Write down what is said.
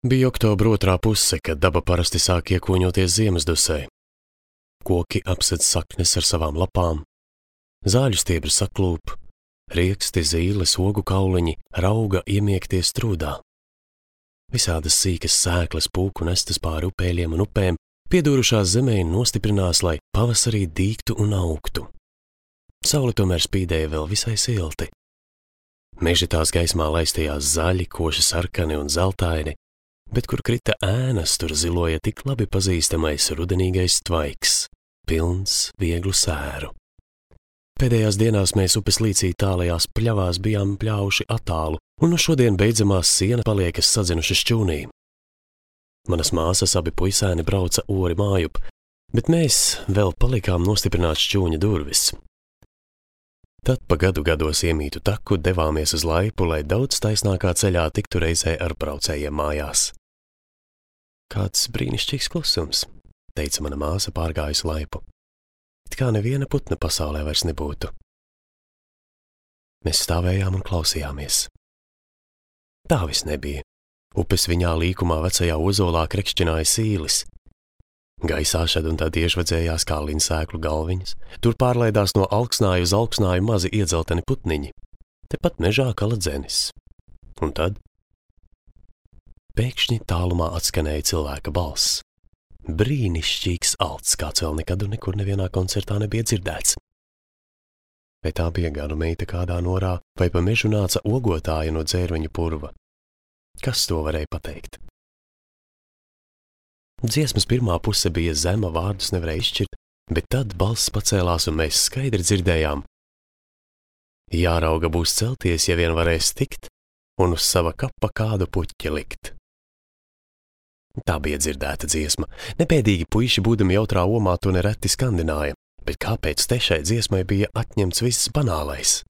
Bija oktobra otrā puse, kad daba parasti sāk iekūņoties ziemassdusē. Koki apsedz saknes ar savām lapām, zāļu stiebri saklūp, rieksti, zīles, ogu kauliņi rauga iemiekties trūdā. Visādas sīkas sēklas pūku nestas pāri upēļiem un upēm, piedūrušās zemē nostiprinās, lai pavasarī dīgtu un augtu. Saule tomēr spīdēja vēl visai silti. Meži tās gaismā laistījās zaļi, koši sarkani un zeltaini, bet kur krita ēnas, tur ziloja tik labi pazīstamais rudenīgais tvaiks, pilns vieglu sēru. Pēdējās dienās mēs upes līcī tālajās pļavās bijām pļauši attālu, un no šodien beidzamās siena paliekas sadzinuši šķūnī. Manas māsas abi puisēni brauca ori mājup, bet mēs vēl palikām nostiprināt šķūņa durvis. Tad pa gadu gados iemītu taku devāmies uz laipu, lai daudz taisnākā ceļā tiktu reizē ar braucējiem mājās. Kāds brīnišķīgs klusums, teica mana māsa pārgājusi laipu. It kā neviena putna pasaulē vairs nebūtu. Mēs stāvējām un klausījāmies. Tā vis nebija. Upes viņā līkumā vecajā ozolā krekšķināja sīlis. Gaisā šad un tad iežvedzējās kā linsēklu galviņas, tur pārlaidās no alksnāju uz alksnāju mazi iedzelteni putniņi, tepat mežā kala dzenis. Un tad pēkšņi tālumā atskanēja cilvēka balss. Brīnišķīgs alts, kāds vēl nekad un nekur nevienā koncertā nebija dzirdēts. Vai tā bija ganu meita kādā norā, vai pa mežu nāca ogotāja no dzērveņu purva? Kas to varēja pateikt? Dziesmas pirmā puse bija zema, vārdus nevarēja izšķirt, bet tad balss pacēlās un mēs skaidri dzirdējām. Jārauga būs celties, ja vien varēs tikt, un uz sava kapa kādu puķi likt. Tā bija dzirdēta dziesma. Nepēdīgi puiši būdami jautrā omā to nereti skandināja, bet kāpēc te šai dziesmai bija atņemts viss banālais?